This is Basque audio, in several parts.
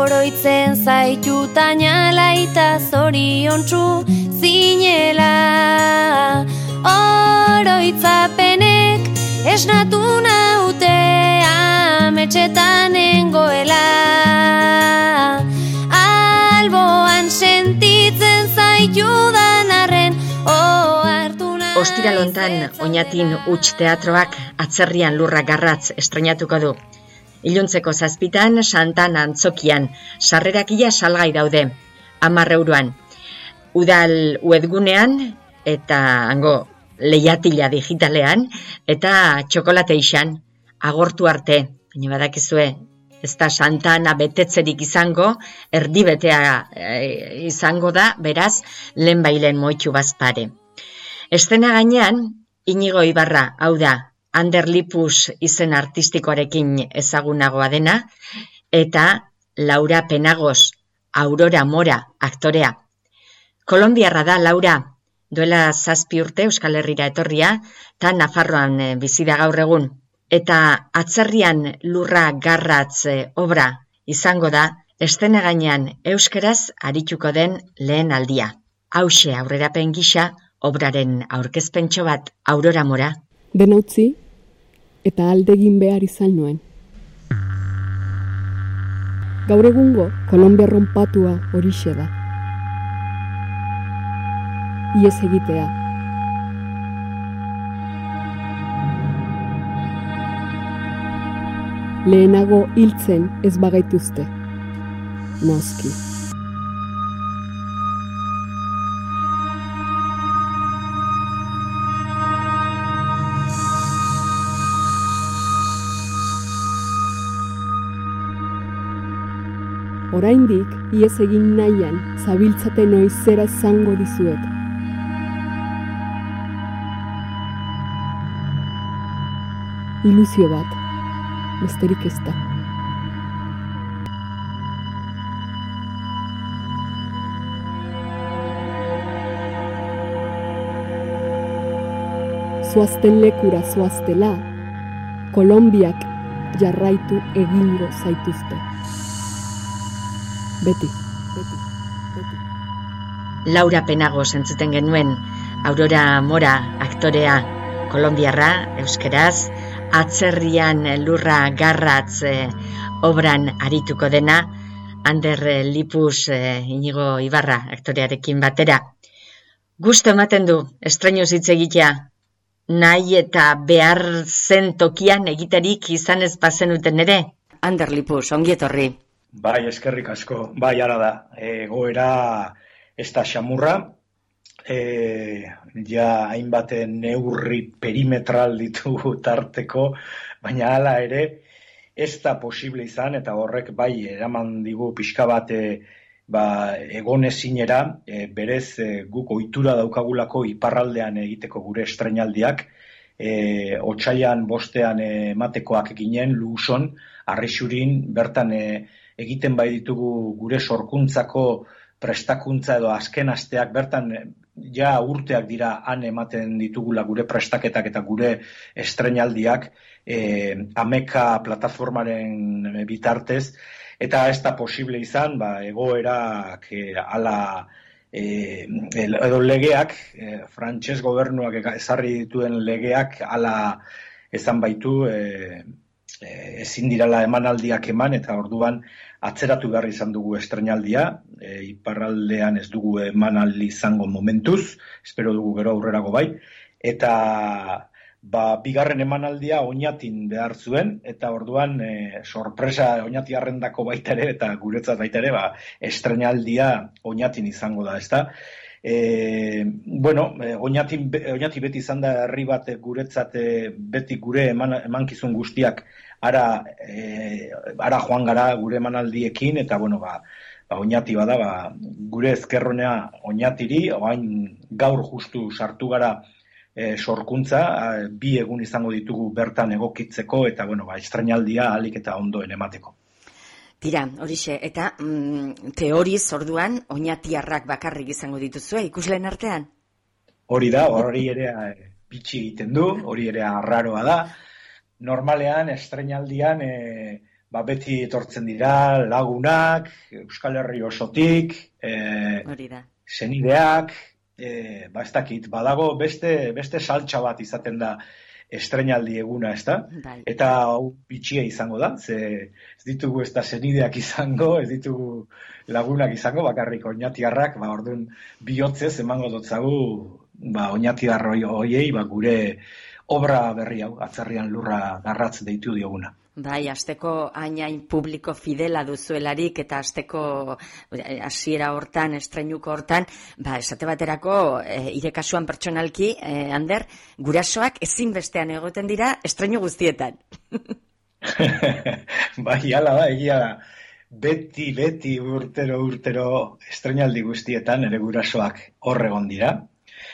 oroitzen zaitutan alaita zoriontsu zinela. Oroitzapenek esnatu naute ametxetan nengoela. Alboan sentitzen zaitudan arren ohartu nahi. Ostiralontan Oñatin Huts teatroak Atzerrian lurra garratz estrenatuko du. Iluntzeko 7 Santan Antzokian, sarrerak ia salgai daude, 10 euroan. Udal webgunean eta hango leihatila digitalean eta txokolateixan agortu arte. Baina badakizue, ez da Santana betetzerik izango, erdibetea izango da, beraz, lehenbailen moitxu bazpare. Estena gainean, Inigo Ibarra, hau da, Ander Lipus izen artistikoarekin ezagunagoa dena, eta Laura Penagos, Aurora Mora, aktorea. Kolonbiarra da Laura, duela 7 urte Euskal Herrira etorria, eta Nafarroan bizi da gaur egun. Eta Atzerrian lurra garratz obra izango da, estena gainean euskeraz arituko den lehen aldia. Hauxe aurrerapen gisa, obraren aurkezpentxo bat, Aurora Mora. Dena utzi, eta aldegin behar izan nuen. Gaur egungo Kolombia ronpatua horixe da. Iez egitea. Lehenago hiltzen ez bagaituzte. Noski. Oraindik, iez egin nahian, zabiltzaten oizera esango dizuet. Ilusio bat, besterik ez da. Zoazten lekura zoaztela, Kolonbiak jarraitu egingo zaituzte. Beti. Laura Penagos entzuten genuen, Aurora Mora aktorea, kolonbiarra, euskeraz, Atzerrian lurra garratz obran arituko dena, Ander Lipus Inigo Ibarra aktorearekin batera. Gusto ematen du, estrenuz hitz egitea, nahi eta behar zen tokian egiterik izan ez bazenuten ere. Ander Lipus, ongi etorri. Bai, eskerrik asko. Bai, ara da. Egoera ez da xamurra. Ja hainbat neurri perimetral ditugu tarteko, baina hala ere ez da posible izan, eta horrek bai eraman digu pixka bat egonezinera, berez guk ohitura daukagulako iparraldean egiteko gure estreinaldiak, otsailean 5 ematekoak ginen Luson, Arrixurin, bertan egiten bai ditugu gure sorkuntzako prestakuntza edo azken asteak, bertan ja urteak dira han ematen ditugula gure prestaketak eta gure estreinaldiak Ameka plataformaren bitartez, eta ez da posible izan, egoerak ala edo legeak, frantses gobernuak ezarri dituen legeak ala ezan baitu, ezin dirala emanaldiak eman, eta orduan atzeratu behar izan dugu estreinaldia, iparraldean ez dugu emanaldi izango momentuz, espero dugu gero aurrerago bai, eta bigarren emanaldia Oñatin behar zuen, eta orduan sorpresa Oñatiarrendako baita ere, eta guretzat baita ere, estreinaldia Oñatin izango da, ezta? Oñati beti izan da herri bat guretzat, beti gure emankizun guztiak ara joan gara gure emanaldiekin, eta Oñati bada, gure ezkerronea Oñatiri, oain gaur justu sartu gara sorkuntza, 2 egun izango ditugu bertan egokitzeko, eta estreinaldia ahalik eta ondoen emateko. Tira, horixe, eta teoriz orduan Oñatiarrak bakarrik izango dituzue ikusleen artean? Hori da, hori ere bitxi egiten du, hori ere arraroa da. Normalean, estreinaldian beti etortzen dira lagunak, Euskal Herri osotik, senideak, ez dakit, badago beste saltxa bat izaten da estreinaldi eguna, ez da? Bai. Eta hau bitxia izango da, ze ez ditugu ez da senideak izango, ez ditugu lagunak izango, bakarrik oinatiarrak, orduan bihotzez emango dotzagu, oinatiar hoiei, gure obra berri hau, Atzerrian Lurra Garratz deitu dioguna. Bai, asteko hain publiko fidela duzuelarik eta asteko hasiera hortan, estreinuko hortan, esate baterako, ire kasuan pertsonalki, Ander, gurasoak ezinbestean egoten dira estreinu guztietan. Bai, hala da, egia da. Beti urtero estreinaldi guztietan ere gurasoak hor egon dira.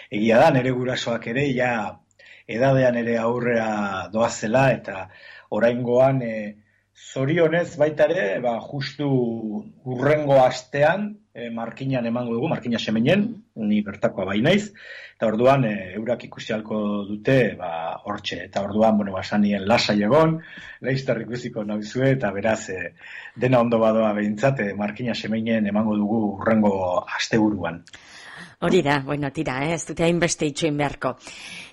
Egia da, nere gurasoak ere, edadean ere aurrera doazela eta oraingoan zorionez baita ere, justu urrengo astean markinan emango dugu, markina semenen, ni bertakoa bai naiz, eta orduan eurak ikusi halko dute hortxe, eta orduan, basanien lasai egon, laizter ikusiko nauzue, eta beraz dena ondo badoa behintzat, markina semenen emango dugu urrengo asteburuan. Hori da, tira, ez dute hainbeste itxoin beharko.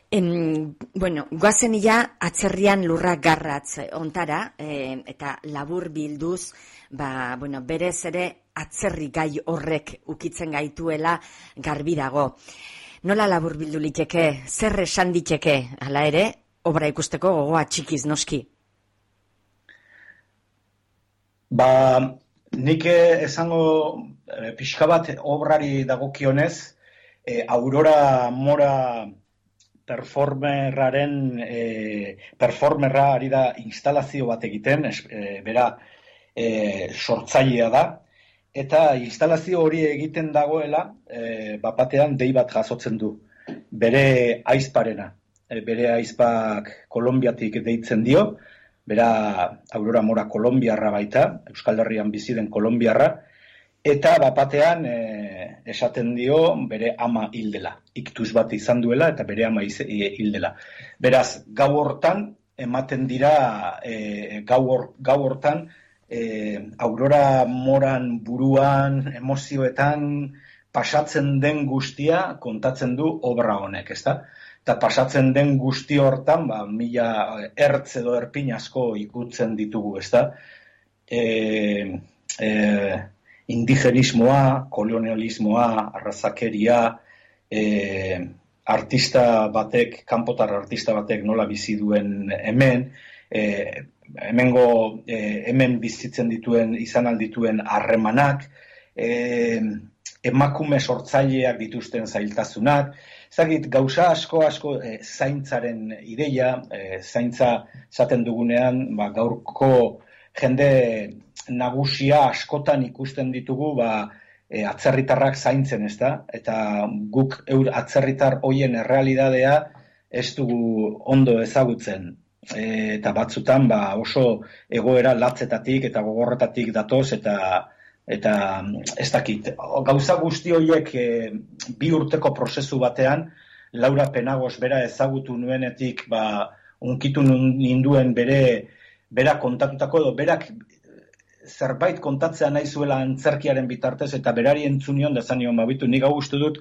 Goazen Atzerrian Lurra Garratz ontara, eta labur bilduz, berez ere atzerri gai horrek ukitzen gaituela garbi dago. Nola labur bildu liteke, zer esan diteke, hala ere, obra ikusteko gogoa txikiz noski? Nik esango pixka bat obrari dagokionez, Aurora Mora performerra ari da instalazio bat egiten, bera sortzailea da, eta instalazio hori egiten dagoela, batean dei bat jasotzen du, bere aizparena, bere aizpak Kolonbiatik deitzen dio, bera Aurora Mora kolonbiarra baita, Euskal Herrian bizi den kolonbiarra, eta batean esaten dio bere ama hildela. Iktus bat izan duela eta bere ama hildela. Beraz, gau hortan ematen dira, gau hortan Aurora Moran buruan, emozioetan pasatzen den guztia kontatzen du obra honek, ezta? Eta pasatzen den guzti hortan, mila ertz edo erpin asko ikutzen ditugu, ezta? Indigenismoa, kolonialismoa, arrazakeria, kanpotar artista batek nola bizi duen hemen, hemen bizitzen izan aldituen harremanak, emakume sortzaileak dituzten zailtasunak, ezagit, gauza asko zaintzaren ideia, zaintza zaten dugunean, gaurko jende nagusia askotan ikusten ditugu atzerritarrak zaintzen, ezta? Eta guk atzerritar hoien errealidadea ez dugu ondo ezagutzen. Eta batzutan oso egoera latzetatik eta gogorretatik datoz eta ez dakit. Gauza guzti horiek 2 urteko prozesu batean, Laura Penagos bera ezagutu nuenetik unkitu ninduen bera kontatutako edo berak zerbait kontatzea nahi zuela antzerkiaren bitartez eta berari entzunion da zanion nik hau uste dut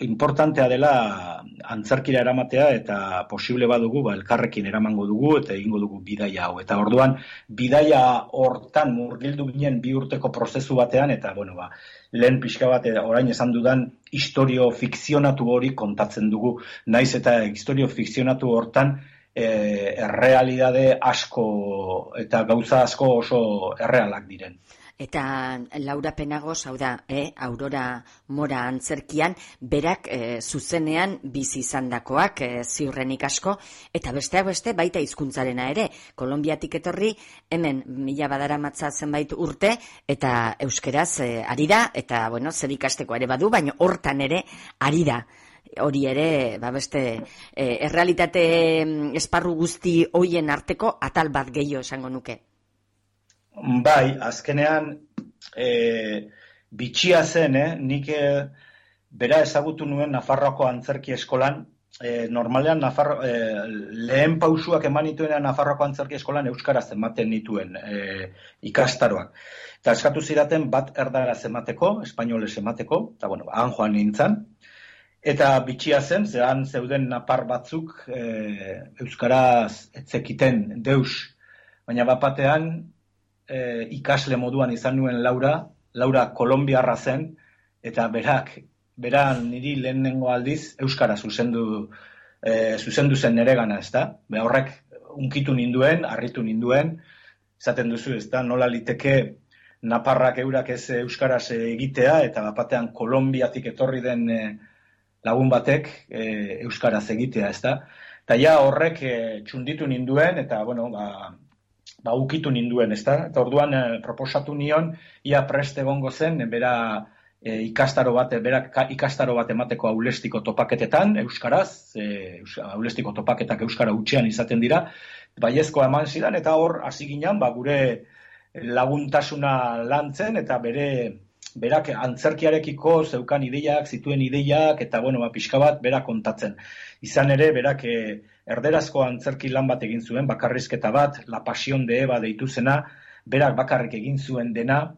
importantea dela antzerkira eramatea eta posible badugu elkarrekin eramango dugu eta egingo dugu bidaia hau. Eta orduan bidaia hortan murgildu ginen 2 urteko prozesu batean eta lehen pixka bat orain esan dudan historio fikzionatu hori kontatzen dugu. Naiz eta historio fikzionatu hortan errealidade asko eta gauza asko oso errealak diren. Eta Laura Penagos, hau da, Aurora Mora antzerkian, berak zuzenean bizi izandakoak ziurrenik asko, eta besteak beste baita hizkuntzarena ere. Kolonbiatik etorri, hemen 1000 badaramatza zenbait urte, eta euskeraz ari da, eta zer ikasteko ere badu, baina hortan ere ari da. Hori ere, beste errealitate esparru guzti hoien arteko atal bat gehiago esango nuke. Bai, azkenean bitxia zen, nik bera ezagutu nuen Nafarroako antzerki eskolan, normalean lehen pausuak eman nituenean Nafarroako Antzerki Eskolan euskaraz ematen nituen ikastaroak. Eta eskatu zidaten bat erdaraz emateko, espainoles emateko, eta han joan nintzen. Eta bitxia zen, zehan zeuden napar batzuk euskaraz etzekiten deus. Baina bapatean ikasle moduan izan nuen Laura kolombiarra zen, eta beran niri lehenengo aldiz euskara zuzendu zen neregana, ezta? Horrek unkitu ninduen, harritu ninduen, esaten duzu, ezta? Nola liteke naparrak eurak ez euskaraz egitea, eta bapatean Kolombiatik etorri den lagun batek euskaraz egitea, ezta? Eta ja horrek txunditu ninduen, eta ukitu ninduen, ezta? Eta orduan proposatu nion, ia prest egongo zen, berak ikastaro bat emateko aulestiko topaketetan, euskaraz, aulestiko topaketak euskara hutsean izaten dira, baiezkoa eman zidan, eta hor hasi ginen, gure laguntasuna lantzen, eta berak antzerkiarekiko zeukan zituen ideiak, eta pixka bat berak kontatzen. Izan ere, berak erderazko antzerki lan bat egin zuen, bakarrizketa bat, La Pasión de Eva deitu zena, berak bakarrik egin zuen dena,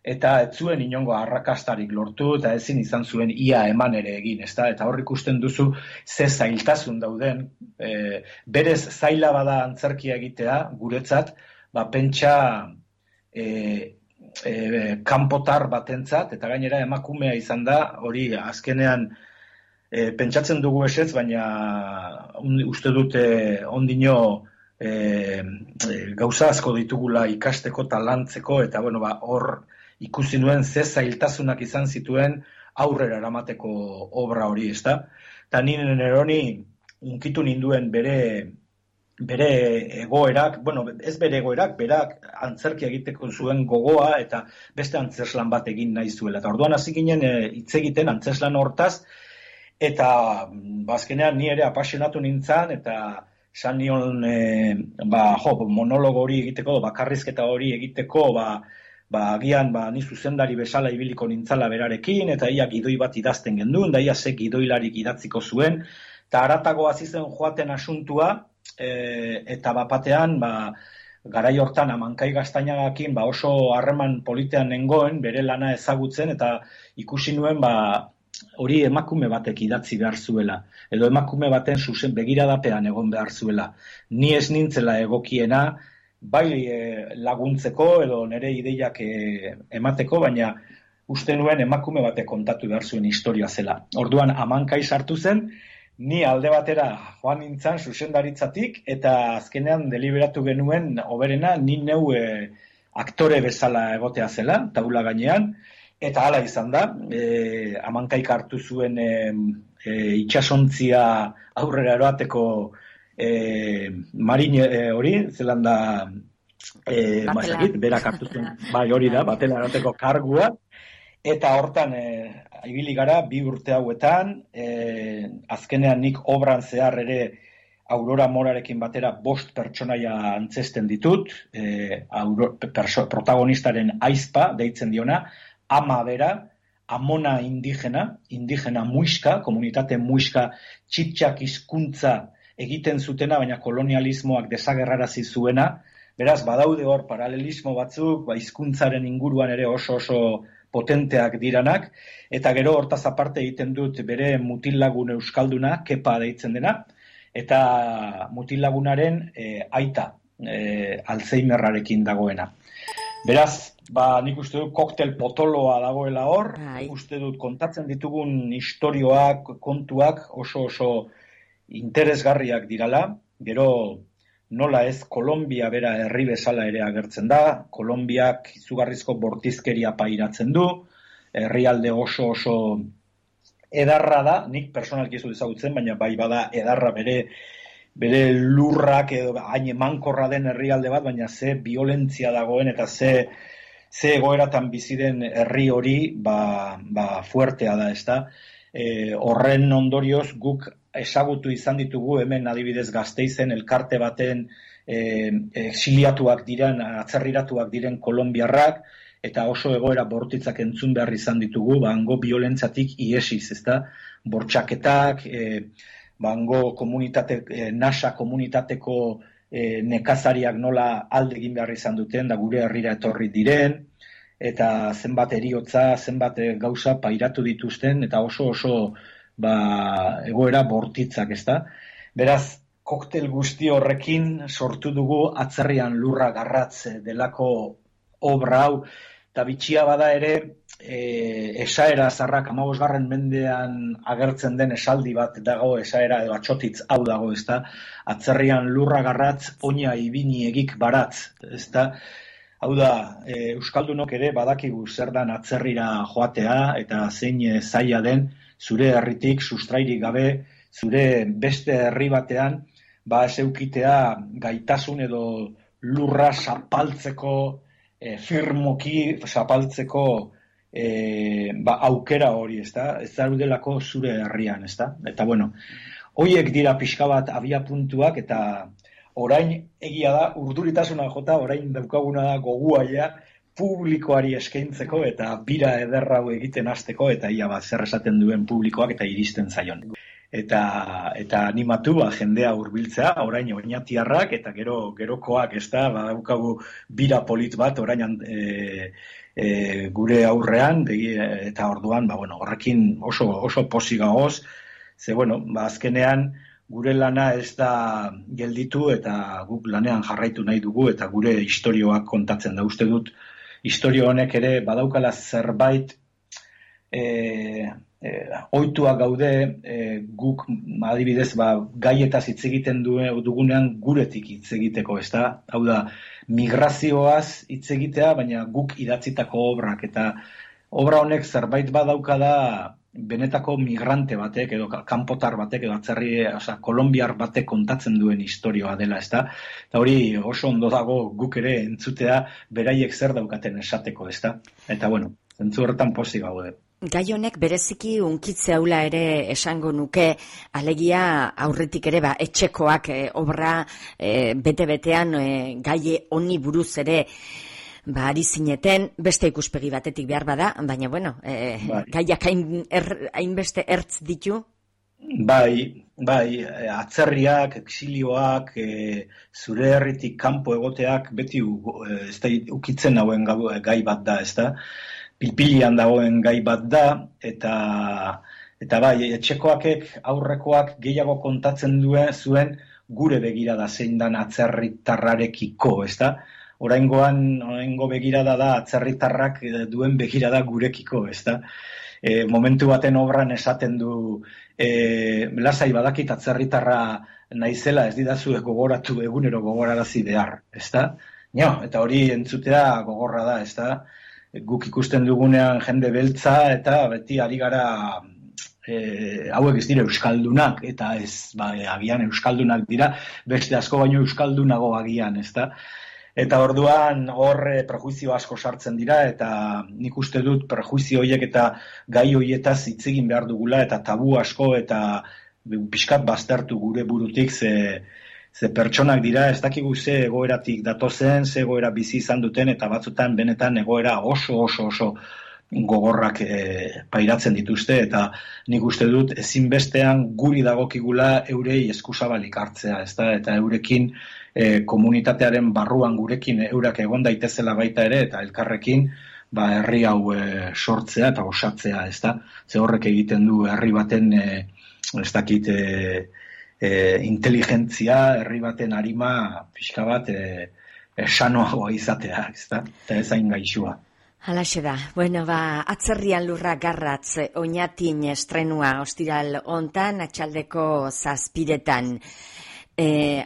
eta ez zuen inongo arrakastarik lortu, eta ezin izan zuen ia eman ere egin, ezta? Eta hor ikusten duzu ze zailtasun dauden, berez zaila bada antzerkia egitea, guretzat, pentsa kanpotar batentzat, eta gainera emakumea izan da, hori azkenean pentsatzen dugu esetz, baina uste dute ondino gauza asko ditugula ikasteko eta lantzeko, eta hor ikusi nuen ze zailtasunak izan zituen aurrera eramateko obra hori, ezta? Eta nire neroni unkitu ninduen bere egoerak, ez bere egoerak, berak antzerkia egiteko zuen gogoa eta beste antzeslan bat egin nahi zuela. Eta orduan hasi ginen hitz egiten antzeslan hortaz, eta azkenean ni ere apasionatu nintzen, eta esan nion monologo hori egiteko, bakarrizketa hori egiteko, agian ni zuzendari bezala ibiliko nintzala berarekin, eta ia gidoi bat idazten genduen, da ia ze gidoilarik idatziko zuen, eta haratago hasi zen joaten asuntua, eta bapatean, garai hortan Amankai Gaztainagakin oso harreman politean nengoen, bere lana ezagutzen, eta ikusi nuen hori emakume batek idatzi behar zuela, edo emakume baten zuzen begiradapean egon behar zuela. Ni ez nintzela egokiena, bai laguntzeko edo nire ideiak emateko, baina uste nuen emakume batek kontatu behar zuen historia zela. Orduan Amankai sartu zen, ni alde batera joan nintzen zuzendaritzatik, eta azkenean deliberatu genuen oberena ni neu aktore bezala egotea zela, taula gainean, eta hala izan da, Amankaik hartu zuen itxasontzia aurrera eroateko marin hori, zelan da, berak hartu zuen, hori da, batela eroateko kargua, eta hortan ibili gara 2 urte hauetan, azkenean nik obran zehar ere Aurora Morarekin batera 5 pertsonaia antzesten ditut, protagonistaren aizpa deitzen diona, ama bera, amona indigena muixka, komunitate muixka txitxak hizkuntza egiten zutena, baina kolonialismoak desagerrarazi zuena, beraz badaude hor paralelismo batzuk, hizkuntzaren inguruan ere oso potenteak diranak, eta gero hortaz aparte egiten dut bere mutillagun euskalduna, Kepa deitzen dena, eta mutillagunaren aita, Alzheimerrarekin dagoena. Beraz, nik uste dut koktel potoloa dagoela hor, uste dut kontatzen ditugun istorioak, kontuak oso interesgarriak dirala, gero nola ez Kolombia bera herri bezala ere agertzen da, Kolombiak izugarrizko bortizkeria pairatzen du, herrialde oso edarra da, nik personalki ez dut ezagutzen, baina bai bada edarra bere lurrak edo hain emankorra den herrialde bat, baina ze violentzia dagoen eta ze egoeratan bizi den herri hori fuertea da, ezta? Horren ondorioz guk ezagutu izan ditugu hemen adibidez Gasteizen elkarte baten exiliatuak diren, atzerriratuak diren kolombiarrak, eta oso egoera bortitzak entzun behar izan ditugu, hango violentziatik iesiz, ezta? Bortxaketak, hango NASA komunitateko nekazariak nola alde egin behar izan duten, da gure herrira etorri diren, eta zenbat eriotza, zenbat gauza pairatu dituzten, eta oso egoera bortitzak, ezta? Beraz, koktel guzti horrekin sortu dugu Atzerrian lurra garratz delako obra hau, eta bitxia bada ere, esaera zarrak 15. mendean agertzen den esaldi bat dago, esaera edo atxotitz hau dago, ezta? Atzerrian lurra garratz, oina ibini egik baratz, ezta? Hau da, euskaldunok ere badakigu zer dan atzerrira joatea, eta zein zaila den zure herritik sustrairik gabe, zure beste herri batean, ez eukitea gaitasun edo lurra zapaltzeko, firmoki zapaltzeko aukera hori, ezta? Ez daudelako zure herrian, ezta? Eta bueno, hoiek dira pixka bat abia puntuak, eta orain egia da, urduritasuna jota, orain daukaguna da goguaia publikoari eskaintzeko eta bira ederra hau egiten hasteko, eta ia zer esaten duen publikoak eta iristen zaion. Eta animatu jendea hurbiltzea, orain oinatiarrak eta gerokoak, ezta, badaukagu bira polit bat orain gure aurrean, eta orduan, horrekin oso pozik gagoz, ze azkenean gure lana ez da gelditu eta guk lanean jarraitu nahi dugu eta gure istorioak kontatzen da. Uste dut, istorio honek ere badaukala zerbait ohituak gaude, guk adibidez gaietaz hitz egiten dugunean guretik hitz egiteko, ezta? Hau da, migrazioaz hitz egitea, baina guk idatzitako obrak, eta obra honek zerbait badauka da benetako migrante batek edo kanpotar batek edo kolombiar batek kontatzen duen istorioa dela, ezta? Eta hori oso ondo dago guk ere entzutea beraiek zer daukaten esateko, ezta? Eta zentzu horretan pozik gaude. Gai honek bereziki unkitze haula ere esango nuke, alegia aurretik ere etxekoak obra bete-betean gai honi buruz ere ari zineten, beste ikuspegi batetik behar bada, baina gaiak hainbeste ertz ditu? Bai, atzerriak, exilioak, zure herritik kanpo egoteak beti ukitzen hauen gai bat da, ezta? Pilpilian dagoen gai bat da, eta etxekoakek, aurrekoak gehiago kontatzen zuen gure begirada zein dan atzerritarrarekiko, ezta? Oraingo begirada da atzerritarrak duen begirada gurekiko, ezta? Momentu baten obran esaten du, lasai badakit atzerritarra naizela ez didazu gogoratu egunero gogorarazi behar, ezta? Eta hori entzutea gogorra da, ezta? Guk ikusten dugunean jende beltza eta beti ari gara hauek ez dira euskaldunak, eta ez, agian euskaldunak dira, beste asko baino euskaldunago agian, ezta? Eta orduan hor prejuizio asko sartzen dira, eta nik uste dut prejuizio horiek eta gai horietaz hitz egin behar dugula, eta tabu asko eta pixkat baztertu gure burutik, ze pertsonak dira, ez dakigu ze egoeratik datozen, ze egoera bizi izan duten, eta batzutan benetan egoera oso gogorrak pairatzen dituzte, eta nik uste dut ezinbestean guri dagokigula eurei eskuzabalik hartzea, ezta? Eta eurekin komunitatearen barruan gurekin eurak egon daitezela baita ere, eta elkarrekin herri hau sortzea eta osatzea, ezta? Ze horrek egiten du herri baten ez dakit inteligentzia, herri baten arima pixka bat sanoagoa izatea, ezta? Eta ez hain gaixua. Halaxe da. Atzerrian lurra garratz oinatin estrenua ostiral hontan, atxaldeko 7:00.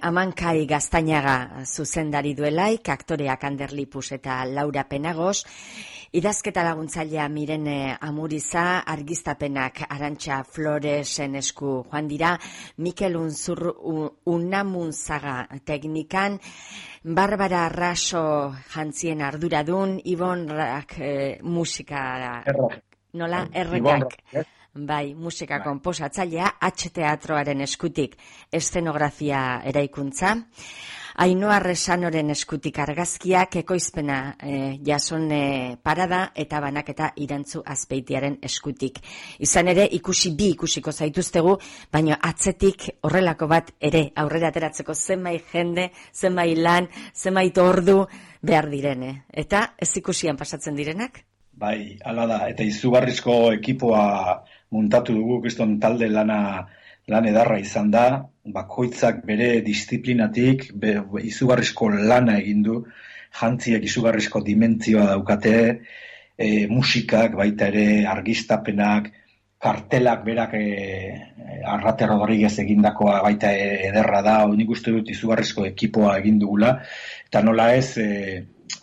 Amankai Gaztainaga zuzendari duelaik, aktoreak Ander Lipus eta Laura Penagos, idazketa laguntzailea Mirene Amuriza, argiztapenak Arantxa Floresen esku joan dira, Mikel Unamunzaga teknikan, Barbara Raso jantzien arduradun, Ibon Rak musika, nola, errekak. Bai, musika konposatzailea, H teatroaren eskutik eszenografia eraikuntza. Ainhoa Resanoren eskutik argazkiak, ekoizpena Jasone Parada eta banaketa Irantzu Azpeitiaren eskutik. Izan ere, ikusiko zaituztegu, baina atzetik horrelako bat ere aurrera ateratzeko zenbait jende, zenbait lan, zenbait ordu behar direne. Eta ez ikusian pasatzen direnak? Bai, hala da, eta izugarrizko ekipoa muntatu dugu, kriston talde lan edarra izan da, bakoitzak bere disiplinatik izugarrizko lana egin du, jantziek izugarrizko dimentzioa daukate, musikak, baita ere argiztapenak, kartelak berak Arrate Rodriguez egindakoa baita ederra da, nik uste dut izugarrizko ekipoa egin dugula, eta nola ez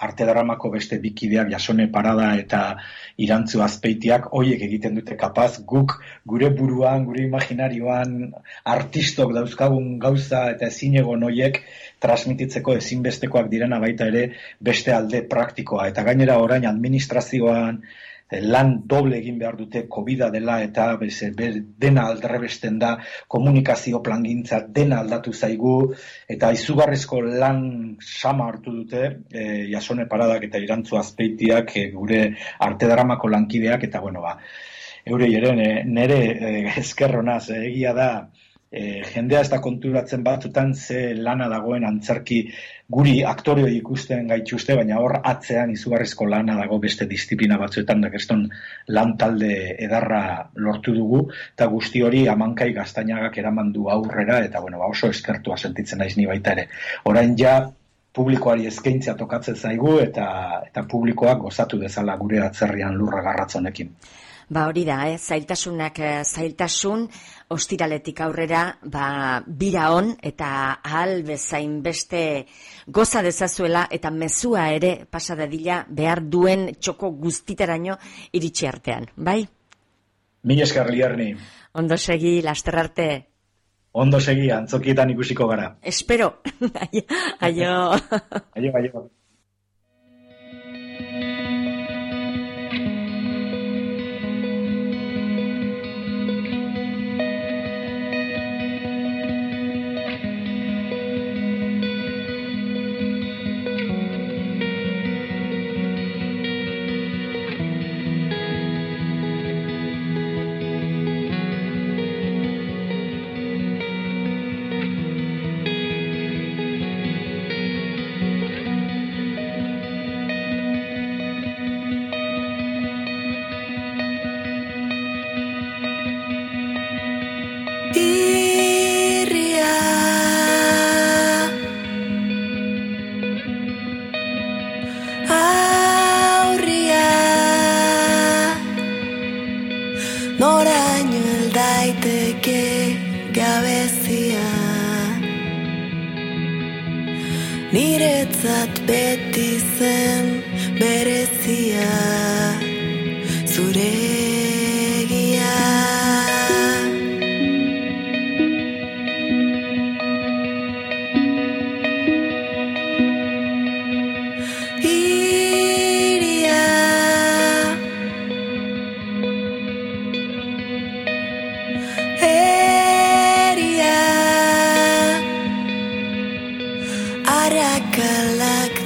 Arte Dramako beste bikideak, Jasone Parada eta Irantzu Azpeitiak, hoiek egiten dute kapaz, guk gure buruan, gure imaginarioan, artistok dauzkagun gauza eta ezinegon hoiek transmititzeko ezinbestekoak direna baita ere beste alde praktikoa. Eta gainera orain administrazioan lan doble egin behar dute, COVID-a dela eta dena aldrebesten da, komunikazio plangintza dena aldatu zaigu, eta izugarrizko lan sama hartu dute, Jasone Paradak eta Irantzu Azpeitiak, gure Arte Dramako lankideak, eta eurei ere nere eskerronaz, egia da, jendea ez da konturatzen batzutan ze lana dagoen antzerki guri aktoreo ikusten gaituzte, baina hor atzean izugarrizko lana dago beste disiplina batzuetan, da keston lan talde edarra lortu dugu, eta guzti hori Amankai Gaztainagak eraman du aurrera, eta oso eskertua sentitzen naiz ni baita ere. Orain ja publikoari eskaintzea tokatzen zaigu, eta publikoak gozatu dezala gure atzerrian lurra garratz honekin. Hori da, zailtasunak zailtasun, ostiraletik aurrera, bira on eta ahal bezain beste goza dezazuela eta mezua ere pasa dadila behar duen txoko guztitaraino iritsi artean, bai? Mila esker Liarni. Ondo segi, laster arte. Ondo segi, antzokietan ikusiko gara. Espero. Aio. Aio. Niretzat beti zen berezia zuregia. Iria eria Arakalak